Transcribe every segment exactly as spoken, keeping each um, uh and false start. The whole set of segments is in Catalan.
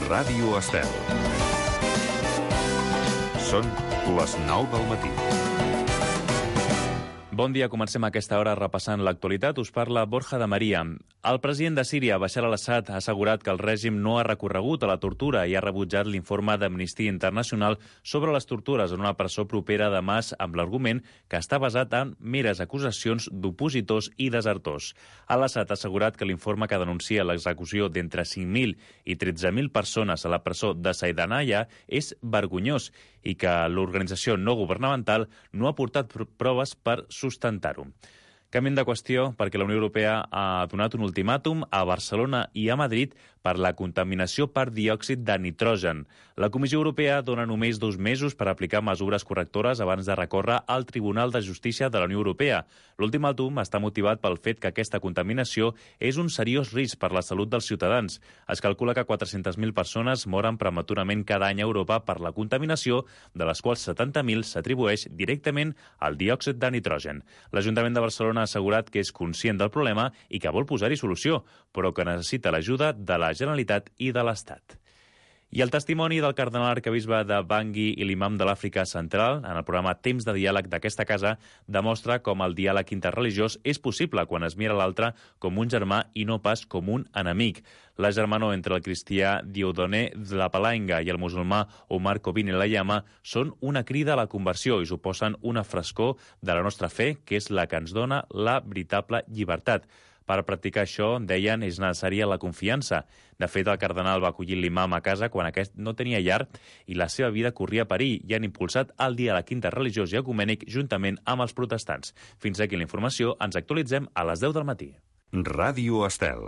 Ràdio Estel. Són les nou del matí. Bon dia, comencem a aquesta hora repassant l'actualitat. Us parla Borja de Maria. El president de Síria, Bashar al-Assad, ha assegurat que el règim no ha recorregut a la tortura i ha rebutjat l'informe d'Amnistia Internacional sobre les tortures en una presó propera a Damasc amb l'argument que està basat en meres acusacions d'opositors i desertors. Al-Assad ha assegurat que l'informe que denuncia l'execució d'entre cinc mil i tretze mil persones a la presó de Saidanaya és vergonyós i que l'organització no governamental no ha portat proves per sustentar-ho. Canviem de qüestió perquè la Unió Europea ha donat un ultimàtum a Barcelona i a Madrid per la contaminació per diòxid de nitrogen. La Comissió Europea dona només dos mesos per aplicar mesures correctores abans de recórrer al Tribunal de Justícia de la Unió Europea. L'ultimàtum està motivat pel fet que aquesta contaminació és un seriós risc per la salut dels ciutadans. Es calcula que quatre-centes mil persones moren prematurament cada any a Europa per la contaminació, de les quals setanta mil s'atribueix directament al diòxid de nitrogen. L'Ajuntament de Barcelona ha assegurat que és conscient del problema i que vol posar-hi solució, però que necessita l'ajuda de la Generalitat i de l'Estat. I el testimoni del cardenal arquebisbe de Bangui i l'imam de l'Àfrica Central, en el programa Temps de Diàleg d'aquesta casa, demostra com el diàleg interreligiós és possible quan es mira l'altre com un germà i no pas com un enemic. La germanor entre el cristià Dieudonné de la Palenga i el musulmà Omar Kobine Layama són una crida a la conversió i suposen una frescor de la nostra fe, que és la que ens dona la veritable llibertat. Per practicar això, deien, és necessària la confiança. De fet, el cardenal va acollir l'imam a casa quan aquest no tenia llar i la seva vida corria perill i han impulsat el diàleg interreligiós i ecumènic juntament amb els protestants. Fins aquí la informació. Ens actualitzem a les deu del matí. Ràdio Estel.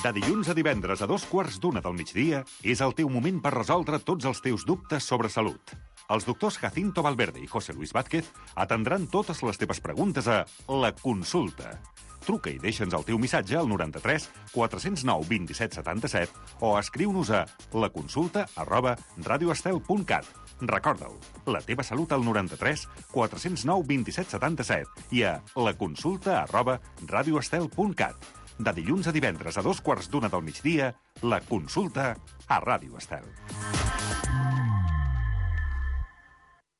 De dilluns a divendres a dos quarts d'una del migdia és el teu moment per resoldre tots els teus dubtes sobre salut. Els doctors Jacinto Valverde i José Luis Vázquez atendran totes les teves preguntes a La Consulta. Truca i deixa'ns el teu missatge al noranta-tres quatre-cents nou vint-i-set setanta-set o escriu-nos a laconsulta arroba radioestel punt cat. Recorda-ho, la teva salut al noranta-tres quatre-cents nou vint-i-set setanta-set i a laconsulta arroba radioestel punt cat. De dilluns a divendres a dos quarts d'una del migdia, La Consulta a Ràdio Estel.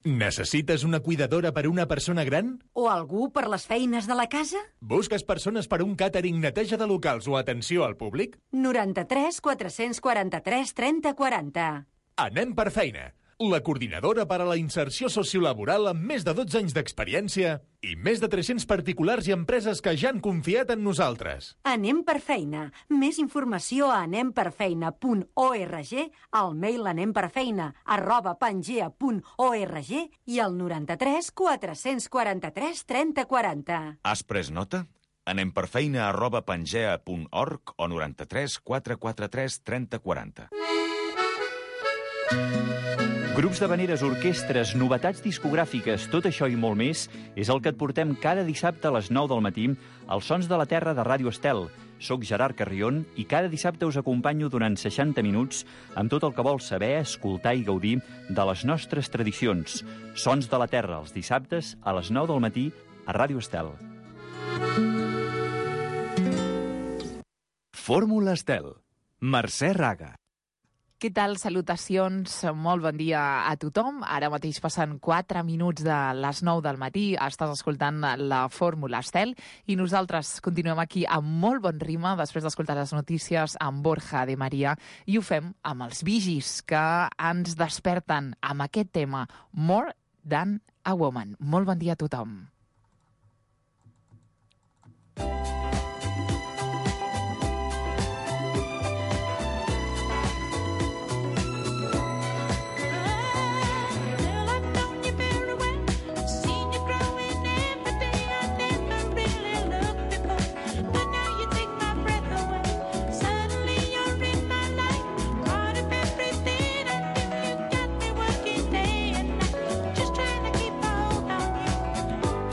Necessites una cuidadora per a una persona gran? O algú per les feines de la casa? Busques persones per a un càtering, neteja de locals o atenció al públic? noranta-tres quatre-cents quaranta-tres trenta quaranta. Anem per feina. La coordinadora per a la inserció sociolaboral amb més de dotze anys d'experiència i més de tres-cents particulars i empreses que ja han confiat en nosaltres. Anem per feina. Més informació a anemperfeina punt org, al mail anemperfeina arroba pangea punt org i al noranta-tres quatre-cents quaranta-tres trenta quaranta. Has pres nota? Anemperfeina arroba pangea punt org o noranta-tres quatre quaranta-tres trenta quaranta. Grups d'havaneres, orquestres, novetats discogràfiques, tot això i molt més és el que et portem cada dissabte a les nou del matí als Sons de la Terra de Ràdio Estel. Soc Gerard Carrion i cada dissabte us acompanyo durant seixanta minuts amb tot el que vols saber, escoltar i gaudir de les nostres tradicions. Sons de la Terra, els dissabtes a les nou del matí a Ràdio Estel. Fórmula Estel. Mercè Raga. Què tal? Salutacions, molt bon dia a tothom. Ara mateix passen quatre minuts de les nou del matí, estàs escoltant la Fórmula Estel i nosaltres continuem aquí amb molt bon ritme després d'escoltar les notícies amb Borja de Maria i ho fem amb els Bee Gees que ens desperten amb aquest tema More Than a Woman. Molt bon dia a tothom. Just trying to keep hold on you.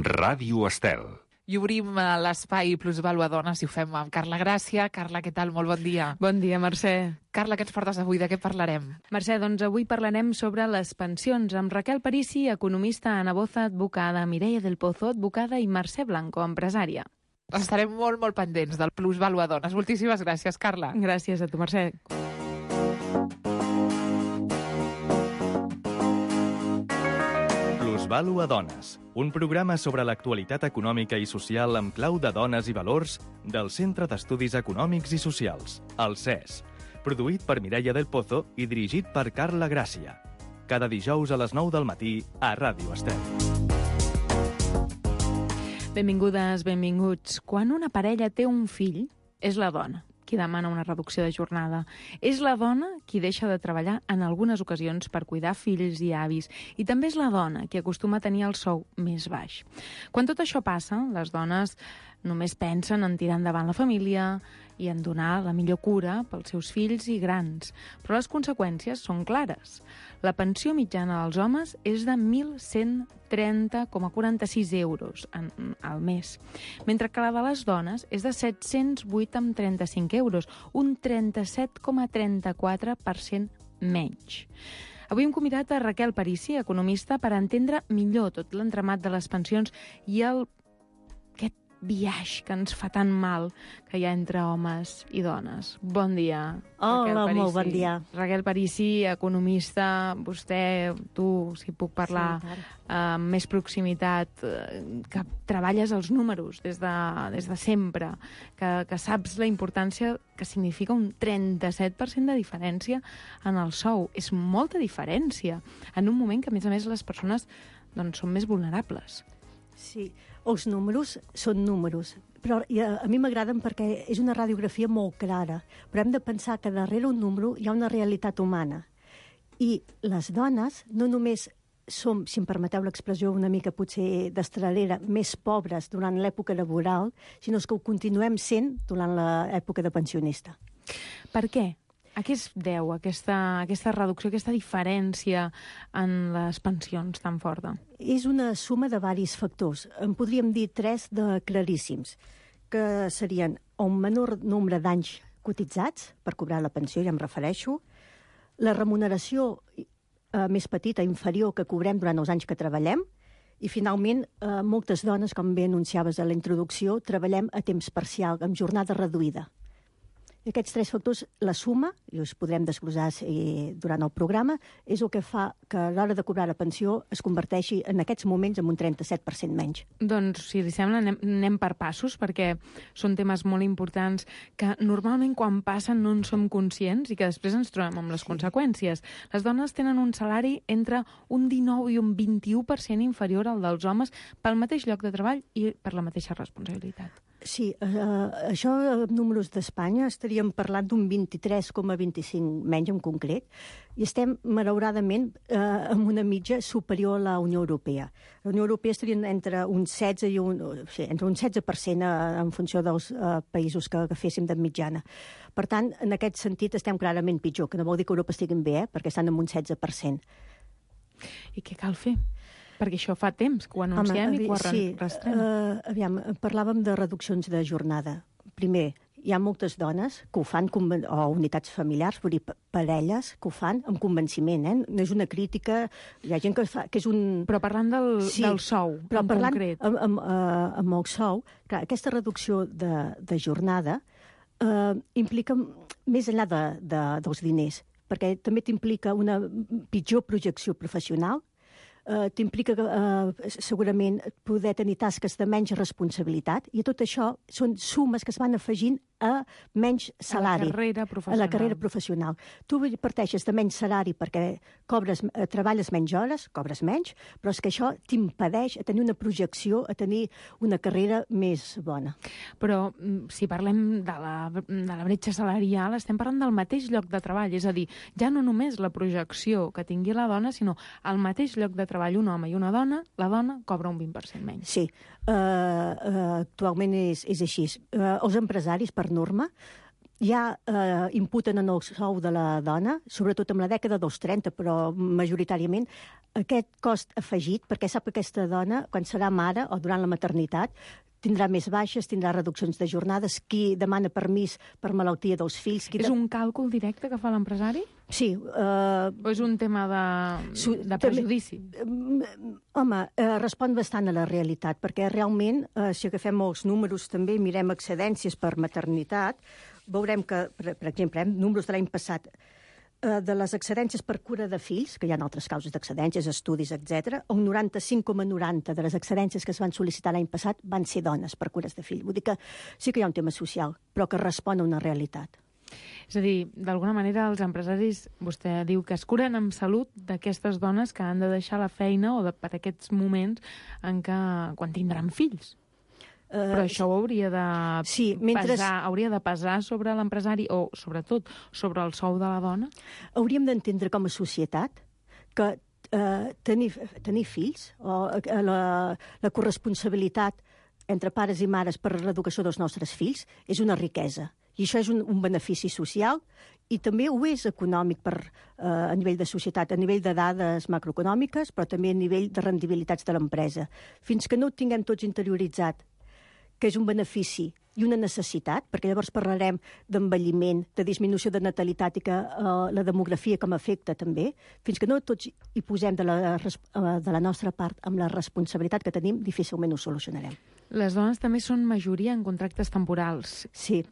Ràdio Estel. I obrim l'espai Plusvàlua Dones i ho fem amb Carla Gràcia. Carla, què tal? Molt bon dia. Bon dia, Mercè. Carla, què ens portes avui? De què parlarem? Mercè, doncs avui parlarem sobre les pensions amb Raquel Parisi, economista, Ana Boza, advocada, Mireia del Pozo, advocada, i Mercè Blanco, empresària. Estarem molt, molt pendents del Plusvàlua Dones. Moltíssimes gràcies, Carla. Gràcies a tu, Mercè. Plusvàlua Dones, un programa sobre l'actualitat econòmica i social amb clau de dones i valors del Centre d'Estudis Econòmics i Socials, el C E S, produït per Mireia del Pozo i dirigit per Carla Gràcia. Cada dijous a les nou del matí a Ràdio Estel. Benvingudes, benvinguts. Quan una parella té un fill, és la dona qui demana una reducció de jornada. És la dona qui deixa de treballar en algunes ocasions per cuidar fills i avis. I també és la dona qui acostuma a tenir el sou més baix. Quan tot això passa, les dones només pensen en tirar endavant la família i en donar la millor cura pels seus fills i grans. Però les conseqüències són clares. La pensió mitjana dels homes és de mil cent trenta coma quaranta-sis euros en, al mes, mentre que la de les dones és de set-cents vuit coma trenta-cinc euros, un trenta-set coma trenta-quatre per cent menys. Avui hem convidat a Raquel Parisi, economista, per entendre millor tot l'entramat de les pensions i el aquest biaix que ens fa tan mal que hi ha entre homes i dones. Bon dia, Raquel Hola, Parisi. molt bon dia. Raquel Parisi, economista, vostè, tu, si puc parlar Sí, amb més proximitat, eh, que treballes els números des de, des de sempre, que, que saps la importància que significa un trenta-set per cent de diferència en el sou. És molta diferència, en un moment que, a més a més, les persones doncs, són més vulnerables. Sí, els números són números, però a, a mi m'agraden perquè és una radiografia molt clara, però hem de pensar que darrere un número hi ha una realitat humana. I les dones no només som, si em permeteu l'expressió una mica potser destralera, més pobres durant l'època laboral, sinó que ho continuem sent durant l'època de pensionista. Per què? A què es deu aquesta, aquesta reducció, aquesta diferència en les pensions tan forta? És una suma de diversos factors. En podríem dir tres de claríssims, que serien un menor nombre d'anys cotitzats per cobrar la pensió, ja em refereixo, la remuneració eh, més petita, inferior, que cobrem durant els anys que treballem, i finalment, eh, moltes dones, com bé anunciaves a la introducció, treballem a temps parcial, amb jornada reduïda. I aquests tres factors, la suma, i els podrem desglossar eh, durant el programa, és el que fa que a l'hora de cobrar la pensió es converteixi en aquests moments en un trenta-set per cent menys. Doncs, si li sembla, anem, anem per passos, perquè són temes molt importants que normalment quan passen no en som conscients i que després ens trobem amb les sí. conseqüències. Les dones tenen un salari entre un dinou i un vint-i-u per cent inferior al dels homes pel mateix lloc de treball i per la mateixa responsabilitat. Sí, eh, això en números d'Espanya estaríem parlant d'un vint-i-tres coma vint-i-cinc menys en concret, i estem, malauradament, eh, amb una mitja superior a la Unió Europea. La Unió Europea estaria entre un setze i un, sí, entre un setze per cent eh, en funció dels eh, països que agaféssim de mitjana. Per tant, en aquest sentit estem clarament pitjor, que no vol dir que Europa estiguin bé, eh, perquè estan en un setze per cent. I què cal fer? Perquè això fa temps que ho anunciem Home, i que ho arrastrem. Sí, uh, aviam, parlàvem de reduccions de jornada. Primer, hi ha moltes dones que ho fan, o unitats familiars, vull dir, parelles, que ho fan amb convenciment, eh? No és una crítica, hi ha gent que fa, que és un... Però parlant del, sí, del sou, però en parlant concret. Amb, amb, uh, amb el sou, clar, aquesta reducció de, de jornada uh, implica més enllà de, de, dels diners, perquè també t'implica una pitjor projecció professional, Uh, t'implica uh, segurament poder tenir tasques de menys responsabilitat, i tot això són sumes que es van afegint a menys salari. A la carrera professional. A la carrera professional. Tu parteixes de menys salari perquè cobres, uh, treballes menys hores, cobres menys, però és que això t'impedeix a tenir una projecció, a tenir una carrera més bona. Però si parlem de la, de la bretxa salarial, estem parlant del mateix lloc de treball, és a dir, ja no només la projecció que tingui la dona, sinó el mateix lloc de treball. Un home i una dona, la dona cobra un vint per cent menys. Sí, uh, uh, actualment és, és així. Uh, els empresaris, per norma, ja eh, imputen en el sou de la dona, sobretot en la dècada dels trenta, però majoritàriament, aquest cost afegit, perquè sap que aquesta dona, quan serà mare o durant la maternitat, tindrà més baixes, tindrà reduccions de jornades, qui demana permís per malaltia dels fills... Qui és un càlcul directe que fa l'empresari? Sí. Uh, o és un tema de, de prejudici? També, home, uh, respon bastant a la realitat, perquè realment, uh, si agafem els números també, mirem excedències per maternitat, veurem que, per, per exemple, eh, números de l'any passat, de les excedències per cura de fills, que hi ha altres causes d'excedències, estudis, etcètera, un noranta-cinc coma noranta de les excedències que es van sol·licitar l'any passat van ser dones per cures de fill. Vull dir que sí que hi ha un tema social, però que respon a una realitat. És a dir, d'alguna manera els empresaris, vostè diu que es curen amb salut d'aquestes dones que han de deixar la feina o de, per aquests moments en què, quan tindran fills. Uh, Però això ho hauria de, sí, mentre... pesar, hauria de pesar sobre l'empresari o, sobretot, sobre el sou de la dona? Hauríem d'entendre com a societat que uh, tenir, tenir fills o uh, la, la corresponsabilitat entre pares i mares per l'educació dels nostres fills és una riquesa. I això és un, un benefici social i també ho és econòmic per, uh, a nivell de societat, a nivell de dades macroeconòmiques, però també a nivell de rendibilitats de l'empresa. Fins que no ho tinguem tots interioritzat, que és un benefici i una necessitat, perquè llavors parlarem d'envelliment, de disminució de natalitat i que uh, la demografia com a efecte també, fins que no tots hi posem de la, uh, de la nostra part amb la responsabilitat que tenim, difícilment ho solucionarem. Les dones també són majoria en contractes temporals. Sí.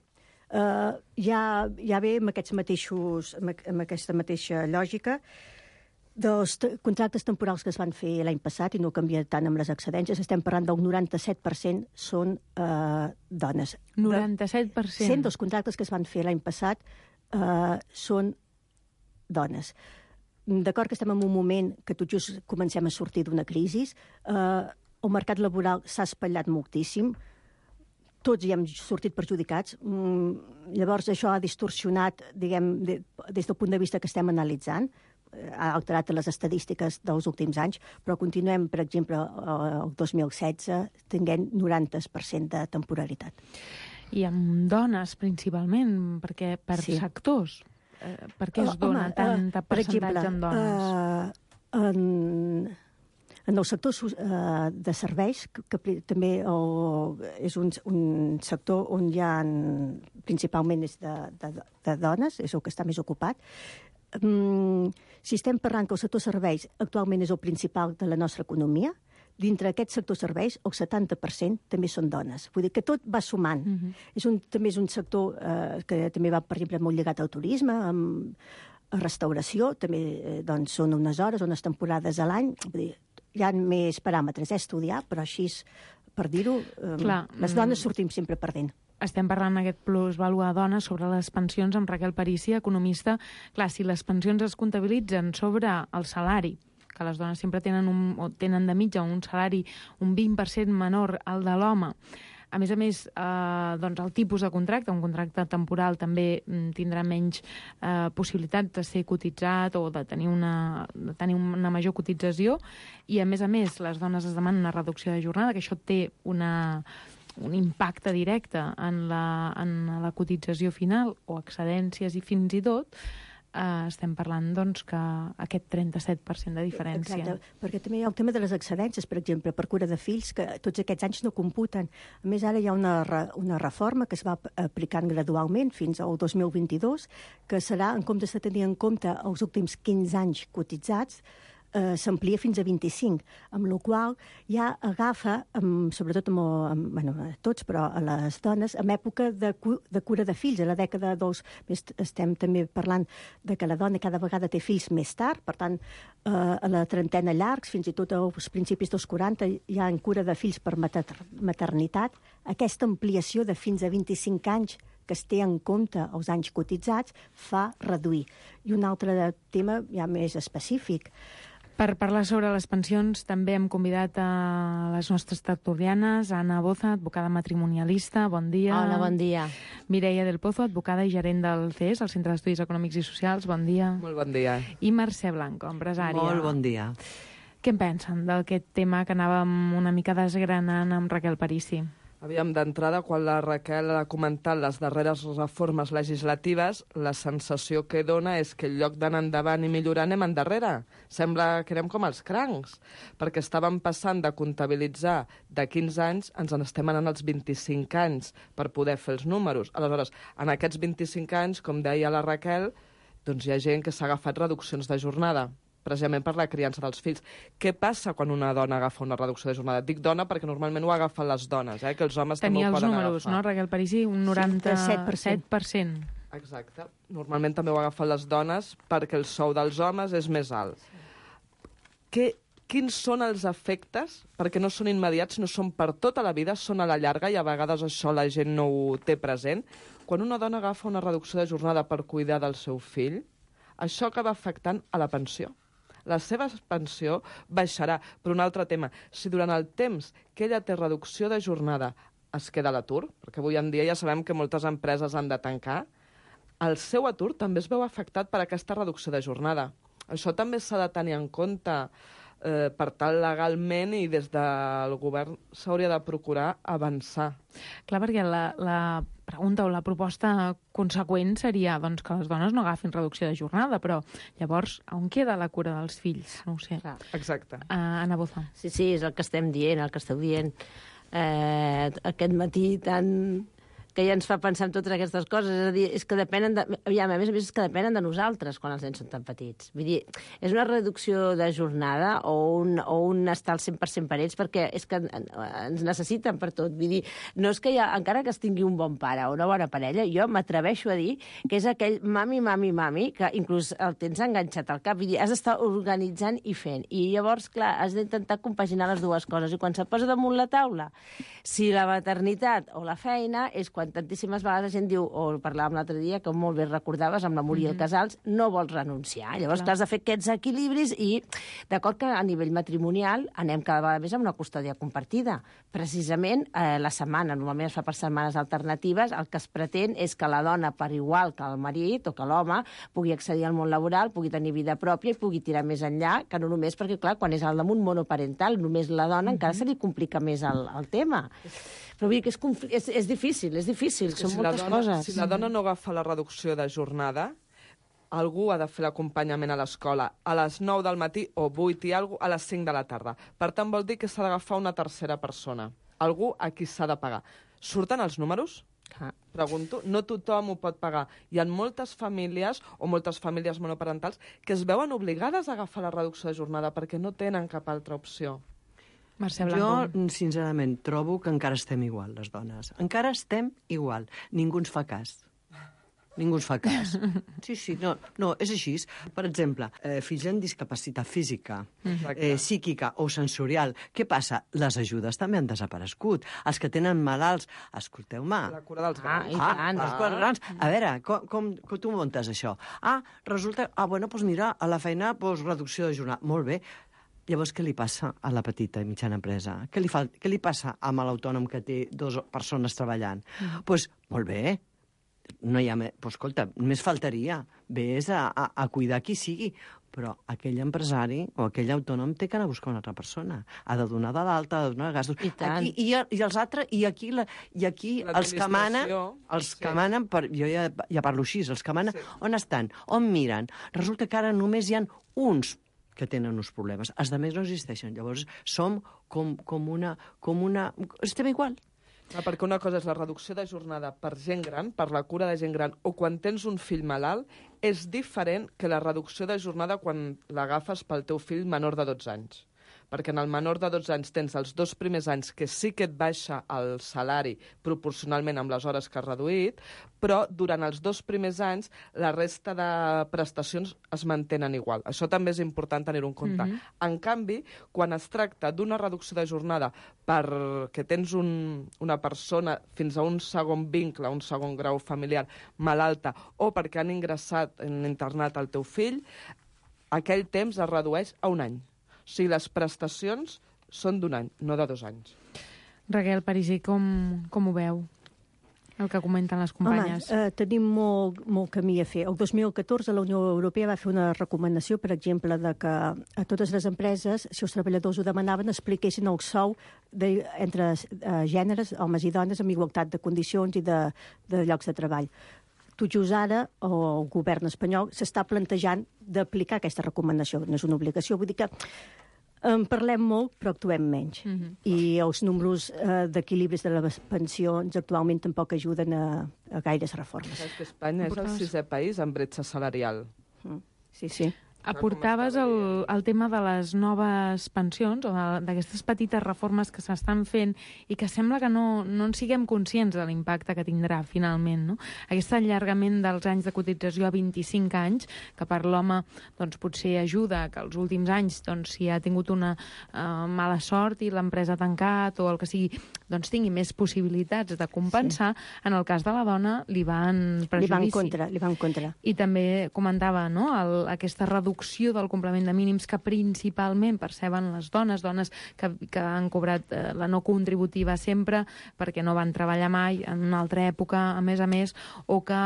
Uh, ja, ja ve amb, aquests mateixos, amb, amb aquesta mateixa lògica. Dels contractes temporals que es van fer l'any passat, i no canvia tant amb les excedències, estem parlant del noranta-set per cent són eh, dones. noranta-set per cent? cent dels contractes que es van fer l'any passat eh, són dones. D'acord que estem en un moment que tot just comencem a sortir d'una crisi, eh, el mercat laboral s'ha espatllat moltíssim, tots hi hem sortit perjudicats, mm, llavors això ha distorsionat, diguem, de, des del punt de vista que estem analitzant, ha alterat les estadístiques dels últims anys, però continuem, per exemple, el dos mil setze, tinguent noranta per cent de temporalitat. I amb dones, principalment, perquè per sí. sectors. Eh, per què es dona Home, tanta uh, percentatge exemple, en dones? Uh, en, en el sector uh, de serveis, que, que també el, és un, un sector on hi ha, principalment és de, de, de dones, és el que està més ocupat. Um, si estem parlant que el sector serveis actualment és el principal de la nostra economia, dintre d'aquest sector serveis el setanta per cent també són dones. Vull dir que tot va sumant. Uh-huh. És un, també és un sector eh, que també va, per exemple, molt lligat al turisme, amb, a restauració, també eh, doncs, són unes hores, unes temporades a l'any. Vull dir, hi ha més paràmetres a estudiar, però així, per dir-ho, eh, Clar, les dones sortim sempre perdent. Estem parlant aquest plus vàlua a dones sobre les pensions amb Raquel Parícia, economista. Clar, si les pensions es comptabilitzen sobre el salari, que les dones sempre tenen, un, o tenen de mitja un salari un vint per cent menor al de l'home, a més a més, eh, doncs el tipus de contracte, un contracte temporal també tindrà menys eh, possibilitat de ser cotitzat o de tenir, una, de tenir una major cotització, i a més a més les dones es demanen una reducció de jornada, que això té una... un impacte directe en la, en la cotització final o excedències i fins i tot, eh, estem parlant doncs, que aquest trenta-set per cent de diferència. Exacte, perquè també hi ha el tema de les excedències, per exemple, per cura de fills, que tots aquests anys no computen. A més, ara hi ha una, una reforma que es va aplicant gradualment fins al dos mil vint-i-dos, que serà, en comptes de tenir en compte els últims quinze anys cotitzats, Eh, s'amplia fins a vint-i-cinc, amb la qual ja agafa, amb, sobretot amb, amb, bueno, a tots, però a les dones, en època de, cu de cura de fills, a la dècada dels... Estem també parlant de que la dona cada vegada té fills més tard, per tant, eh, a la trentena llargs, fins i tot als principis dels quaranta, hi ha en cura de fills per mater maternitat. Aquesta ampliació de fins a vint-i-cinc anys que es té en compte els anys cotitzats fa reduir. I un altre tema ja més específic. Per parlar sobre les pensions també hem convidat a les nostres tertulianes, Anna Boza, advocada matrimonialista, bon dia. Hola, bon dia. Mireia del Pozo, advocada i gerent del C E S, el Centre d'Estudis Econòmics i Socials, bon dia. Molt bon dia. I Mercè Blanco, empresària. Molt bon dia. Què en pensen d'aquest tema que anàvem una mica desgranant amb Raquel Parícia? Aviam, d'entrada, quan la Raquel ha comentat les darreres reformes legislatives, la sensació que dona és que en lloc d'anar endavant i millorar anem endarrere. Sembla que anem com els crancs, perquè estàvem passant de comptabilitzar de quinze anys, ens en estem anant als vint-i-cinc anys per poder fer els números. Aleshores, en aquests vint-i-cinc anys, com deia la Raquel, doncs hi ha gent que s'ha agafat reduccions de jornada, precisament per la criança dels fills. Què passa quan una dona agafa una reducció de jornada? Dic dona perquè normalment ho agafen les dones, eh? Que els homes també ho poden agafar. Tenia els números, no, Raquel Parisi? Un noranta-set per cent. Exacte. Normalment també ho agafen les dones perquè el sou dels homes és més alt. Què, quins són els efectes? Perquè no són immediats, no són per tota la vida, són a la llarga i a vegades això la gent no ho té present. Quan una dona agafa una reducció de jornada per cuidar del seu fill, això acaba afectant a la pensió. La seva pensió baixarà. Per un altre tema, si durant el temps que ella té reducció de jornada es queda a l'atur, perquè avui en dia ja sabem que moltes empreses han de tancar, el seu atur també es veu afectat per aquesta reducció de jornada. Això també s'ha de tenir en compte eh, per tal legalment i des del govern s'hauria de procurar avançar. Clar, perquè la, la pregunta o la proposta conseqüent seria doncs, que les dones no agafin reducció de jornada, però llavors on queda la cura dels fills? No ho sé. Clar. Exacte. Uh, Anna Boza. Sí, sí, és el que estem dient, el que esteu dient. Eh, aquest matí tan... que ja ens fa pensar en totes aquestes coses. És a dir, és que depenen de... Aviam, a més a més, és que depenen de nosaltres quan els nens són tan petits. Vull dir, és una reducció de jornada o un, o un estar al cent per cent per ells, perquè és que ens necessiten per tot. Vull dir, no és que ja, encara que es tingui un bon pare o una bona parella, jo m'atreveixo a dir que és aquell mami, mami, mami, que inclús el tens enganxat al cap. Vull dir, has d'estar organitzant i fent. I llavors, clar, has d'intentar compaginar les dues coses. I quan se't posa damunt la taula, si la maternitat o la feina és quan tantíssimes vegades la gent diu, o parlàvem l'altre dia, que molt bé recordaves, amb la Muriel mm-hmm. Casals, no vols renunciar. Llavors, clar, has de fer aquests equilibris i, d'acord que a nivell matrimonial anem cada vegada més amb una custòdia compartida. Precisament, eh, la setmana, normalment es fa per setmanes alternatives, el que es pretén és que la dona, per igual que el marit o que l'home, pugui accedir al món laboral, pugui tenir vida pròpia i pugui tirar més enllà, que no només perquè, clar, quan és al damunt monoparental, només la dona, mm-hmm. encara se li complica més el, el tema. Però vull dir que és, és, és difícil, és difícil, són si moltes dona, coses. Si la dona no agafa la reducció de jornada, algú ha de fer l'acompanyament a l'escola a les nou del matí o vuit i alguna cosa a les cinc de la tarda. Per tant, vol dir que s'ha d'agafar una tercera persona, algú a qui s'ha de pagar. Surten els números? Ah. Pregunto, no tothom ho pot pagar. Hi ha moltes famílies o moltes famílies monoparentals que es veuen obligades a agafar la reducció de jornada perquè no tenen cap altra opció. Mercè Blanco. Jo, sincerament, trobo que encara estem igual, les dones. Encara estem igual. Ningú ens fa cas. Ningú ens fa cas. Sí, sí, no, no és així. Per exemple, eh, fills amb discapacitat física, eh, psíquica o sensorial. Què passa? Les ajudes també han desaparegut. Els que tenen malalts, escolteu-me. La cura dels grans. Ah, i tant. Ah, els grans. A veure, com, com, com tu muntes això? Ah, resulta... Ah, bueno, doncs mira, a la feina, doncs, reducció de jornada. Molt bé. Llavors, què li passa a la petita i mitjana empresa? Què li, fa, què li passa amb l'autònom que té dues persones treballant? Doncs, mm. pues, molt bé, no hi ha més... Pues, escolta, només faltaria. Ves a, a, a cuidar qui sigui. Però aquell empresari o aquell autònom té que anar a buscar una altra persona. Ha de donar de l'alta, ha de donar gastos. I tant. Aquí, i, i els altres, i aquí, la, i aquí els que manen, els que sí. manen per, jo ja, ja parlo així, els que manen, sí. on estan? On miren? Resulta que ara només hi ha uns que tenen uns problemes. Els altres no existeixen. Llavors, som com, com, una, com una... Estem igual. Ah, perquè una cosa és la reducció de jornada per gent gran, per la cura de gent gran, o quan tens un fill malalt, és diferent que la reducció de jornada quan l'agafes pel teu fill menor de dotze anys. Perquè en el menor de dotze anys tens els dos primers anys que sí que et baixa el salari proporcionalment amb les hores que has reduït, però durant els dos primers anys la resta de prestacions es mantenen igual. Això també és important tenir-ho en compte. Mm-hmm. En canvi, quan es tracta d'una reducció de jornada perquè tens un, una persona fins a un segon vincle, un segon grau familiar malalta, o perquè han ingressat, han internat el teu fill, aquell temps es redueix a un any. O sigui, les prestacions són d'un any, no de dos anys. Raquel Parisi, com, com ho veu? El que comenten les companyes. Home, eh, tenim molt, molt camí a fer. El dos mil catorze la Unió Europea va fer una recomanació, per exemple, de que a totes les empreses, si els treballadors ho demanaven, expliquessin el sou de, entre eh, gèneres, homes i dones, amb igualtat de condicions i de, de llocs de treball. Tot just ara el govern espanyol s'està plantejant d'aplicar aquesta recomanació. No és una obligació, vull dir que en parlem molt, però actuem menys. Mm-hmm. I els números eh, d'equilibris de les pensions actualment tampoc ajuden a, a gaires reformes. És que Espanya és el sisè país amb bretxa salarial. Mm. Sí, sí. Aportaves el, el tema de les noves pensions o d'aquestes petites reformes que s'estan fent i que sembla que no, no en siguem conscients de l'impacte que tindrà finalment, no? Aquest allargament dels anys de cotització a vint-i-cinc anys, que per l'home doncs, potser ajuda, que els últims anys, doncs, si ha tingut una uh, mala sort i l'empresa ha tancat o el que sigui, doncs tingui més possibilitats de compensar, sí. En el cas de la dona li va en prejudici. Li va en contra, li va en contra. I també comentava, no?, el, aquesta reducció del complement de mínims que principalment perceben les dones, dones que, que han cobrat eh, la no contributiva sempre perquè no van treballar mai en una altra època, a més a més, o que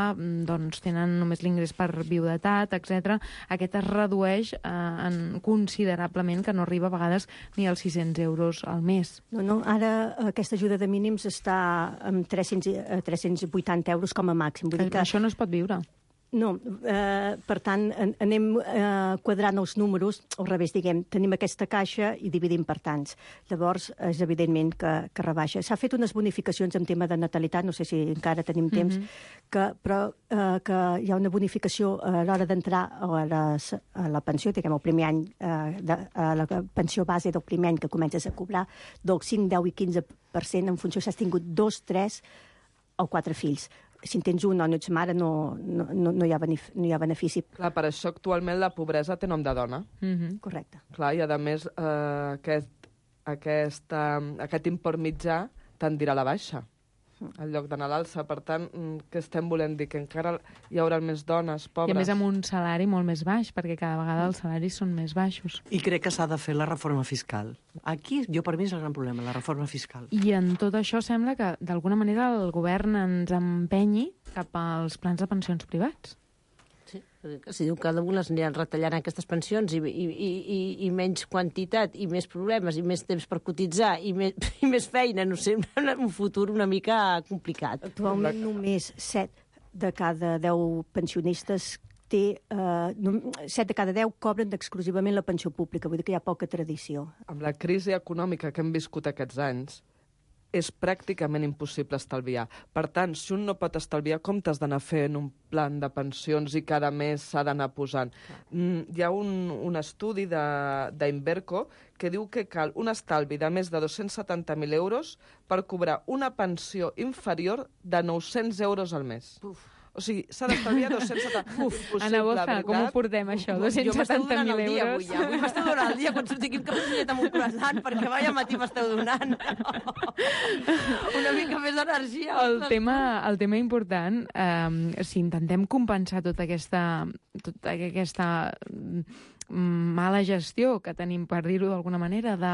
doncs, tenen només l'ingrés per viudetat, etcètera. Aquest es redueix eh, en considerablement, que no arriba a vegades ni als sis-cents euros al mes. No, no, ara aquesta ajuda de mínims està amb tres-cents, tres-cents vuitanta euros com a màxim. Vull dir que això no es pot viure. No, eh, per tant, en, anem eh, quadrant els números, al revés, diguem, tenim aquesta caixa i dividim per tants. Llavors, és evidentment que, que rebaixa. S'ha fet unes bonificacions en tema de natalitat, no sé si encara tenim temps, mm-hmm. que, però eh, que hi ha una bonificació a l'hora d'entrar a, les, a la pensió, diguem, el primer any, eh, de, a la pensió base del primer any que comences a cobrar, del cinc, deu i quinze per cent en funció si has tingut dos, tres o quatre fills. Si en tens un o no ets mare, no, no, no, hi ha benefici, no hi ha benefici. Clar, per això actualment la pobresa té nom de dona. Mm-hmm. Correcte. Clar, i a més eh, aquest, aquest, eh, aquest import mitjà tendirà a la baixa, en lloc d'anar a l'alça. Per tant, què estem volent dir? Que encara hi haurà més dones pobres. I a més amb un salari molt més baix, perquè cada vegada els salaris són més baixos. I crec que s'ha de fer la reforma fiscal. Aquí, jo per mi és el gran problema, la reforma fiscal. I en tot això sembla que, d'alguna manera, el govern ens empenyi cap als plans de pensions privats. Sí, si diu que algunes aniran retallant aquestes pensions i, i, i, i menys quantitat i més problemes i més temps per cotitzar i més, i més feina, no sé, un futur una mica complicat. Actualment només set de cada deu pensionistes té, eh, set de cada deu cobren exclusivament la pensió pública, vull dir que hi ha poca tradició. Amb la crisi econòmica que hem viscut aquests anys, és pràcticament impossible estalviar. Per tant, si un no pot estalviar, com t'has d'anar fent un plan de pensions i cada mes s'ha d'anar posant? Mm, hi ha un, un estudi d'Inverco que diu que cal un estalvi de més de dos-cents setanta mil euros per cobrar una pensió inferior de nou-cents euros al mes. Uf. O sigui, s'ha d'estalviar dos-cents setanta mil euros. Uf, Ana Boza, com ho portem, això? dos-cents setanta mil euros? Jo m'esteu donant el dia, avui, ja. Avui m'esteu donant el dia, quan surti aquí amb cafetet amb un croissant, perquè vaya matí m'esteu donant. Una mica més d'energia. El tema, el tema important, eh, si intentem compensar tota aquesta, tota aquesta mala gestió que tenim, per dir-ho d'alguna manera, de,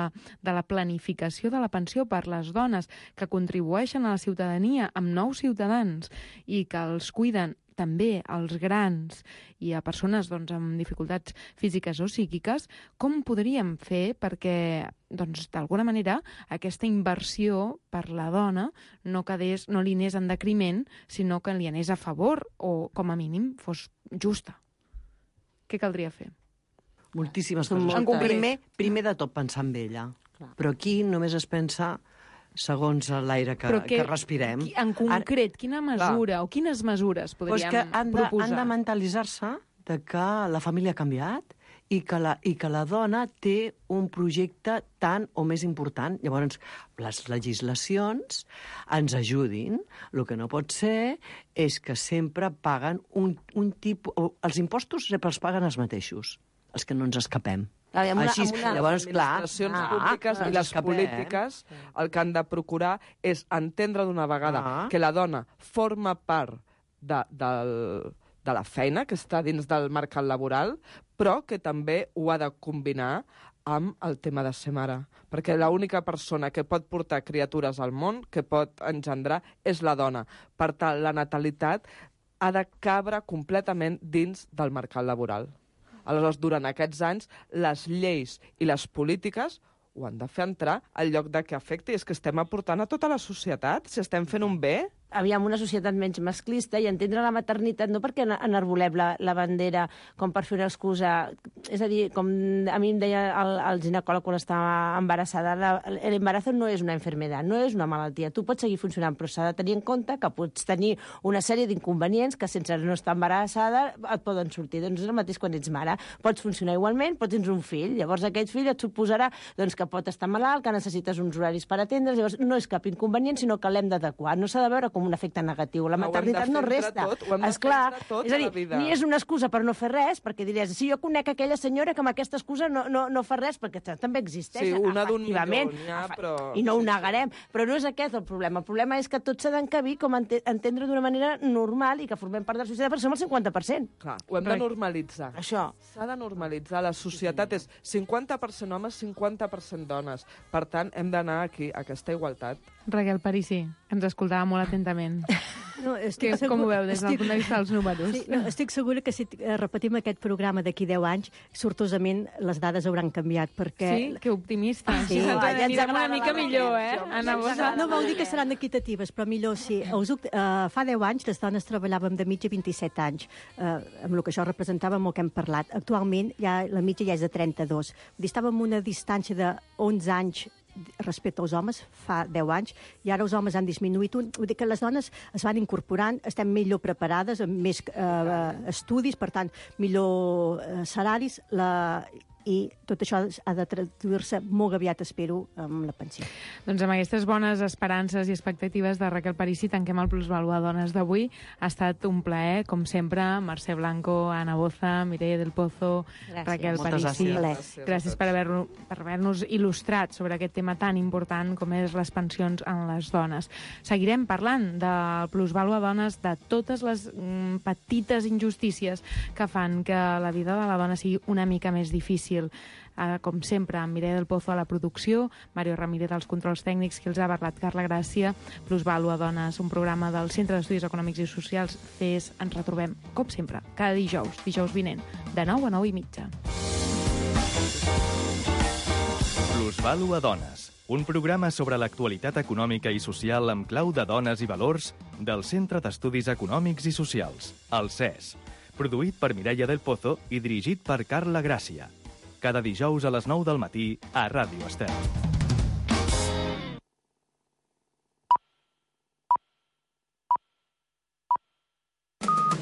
de la planificació de la pensió per les dones que contribueixen a la ciutadania amb nous ciutadans i que els cuiden també als grans i a persones doncs, amb dificultats físiques o psíquiques, com podríem fer perquè, doncs, d'alguna manera, aquesta inversió per la dona no, quedés, no li anés en decriment, sinó que li anés a favor o, com a mínim, fos justa? Què caldria fer? Moltíssimes coses. Primer, primer de tot pensar en ella. Clar. Però aquí només es pensa segons l'aire que, que, que respirem. En concret, quina mesura Clar. o quines mesures podríem pues que han de, proposar? Han de mentalitzar-se de que la família ha canviat i que, la, i que la dona té un projecte tan o més important. Llavors, les legislacions ens ajudin. El que no pot ser és que sempre paguen un, un tipus... Els impostos sempre els paguen els mateixos, els que no ens escapem. Ah, una, Així, una... llavors, clar... Les administracions ah, públiques ah, i les escapem, polítiques eh? el que han de procurar és entendre d'una vegada ah. que la dona forma part de, del, de la feina que està dins del mercat laboral, però que també ho ha de combinar amb el tema de ser mare, perquè l'única persona que pot portar criatures al món, que pot engendrar, és la dona. Per tant, la natalitat ha de cabre completament dins del mercat laboral. Aleshores, durant aquests anys, les lleis i les polítiques ho han de fer entrar al lloc de que afecti. És que estem aportant a tota la societat, si estem fent un bé. Aviam, una societat menys masclista i entendre la maternitat no perquè enarbolem la, la bandera com per fer una excusa. És a dir, com a mi em deia el, el ginecòleg quan estava embarassada, l'embarazo no és una enfermedad, no és una malaltia. Tu pots seguir funcionant, però s'ha de tenir en compte que pots tenir una sèrie d'inconvenients que sense no estar embarassada et poden sortir. Doncs és el mateix quan ets mare. Pots funcionar igualment, pots tenir un fill. Llavors aquest fill et suposarà doncs, que pot estar malalt, que necessites uns horaris per atendre's. Llavors no és cap inconvenient, sinó que l'hem d'adequar. No s'ha de veure com un efecte negatiu. La maternitat no resta. Esclar, és a dir, ni és una excusa per no fer res, perquè diries, si jo conec aquella senyora que amb aquesta excusa no, no, no fa res, perquè també existeix, sí, una efectivament, d'un milió, ja, però... i no ho negarem. Però no és aquest el problema. El problema és que tot s'ha d'encabir com ente entendre d'una manera normal i que formem part de la societat, perquè som el cinquanta per cent. Clar, ho hem de normalitzar. Això. S'ha de normalitzar. La societat és cinquanta per cent homes, cinquanta per cent dones. Per tant, hem d'anar aquí, a aquesta igualtat. Raquel Parisi, ens escoltava molt atentament. No, que, com ho veu des del punt de vista dels números? Sí, no, estic segura que si repetim aquest programa d'aquí deu anys, sortosament les dades hauran canviat, perquè... Sí, que optimista. Sí, sí, ja ens agrada una mica millor, eh? Ana Bossa. No vol dir que seran equitatives, però millor sí. Us, uh, fa deu anys les dones treballàvem de mitja vint-i-set anys, uh, amb el que això representava amb el que hem parlat. Actualment ja, la mitja ja és de trenta-dos. Vull dir, estàvem en una distància d'onze anys respecte als homes fa deu anys, i ara els homes han disminuït un. Vull dir que les dones es van incorporant, estem millor preparades, amb més eh, estudis, per tant, millor eh, salaris, la... i tot això ha de traduir-se molt aviat, espero, amb la pensió. Doncs amb aquestes bones esperances i expectatives de Raquel Parisi tanquem el Plusvalua Dones d'avui. Ha estat un plaer, com sempre, Mercè Blanco, Ana Boza, Mireia del Pozo, gràcies. Raquel Moltes Parisi. gràcies. Gràcies per haver-nos per haver il·lustrat sobre aquest tema tan important com és les pensions en les dones. Seguirem parlant del Plusvalua Dones, de totes les mm, petites injustícies que fan que la vida de la dona sigui una mica més difícil. Uh, com sempre, amb Mireia del Pozo a la producció, Mario Ramírez als controls tècnics, qui els ha parlat, Carla Gràcia, Plusvalua Dones, un programa del Centre d'Estudis Econòmics i Socials, C E S. Ens retrobem, com sempre, cada dijous, dijous vinent, de nou a nou i mitja. Plusvalua Dones, un programa sobre l'actualitat econòmica i social amb clau de dones i valors del Centre d'Estudis Econòmics i Socials, el C E S. Produït per Mireia del Pozo i dirigit per Carla Gràcia. Cada dijous a les nou del matí a Ràdio Estel.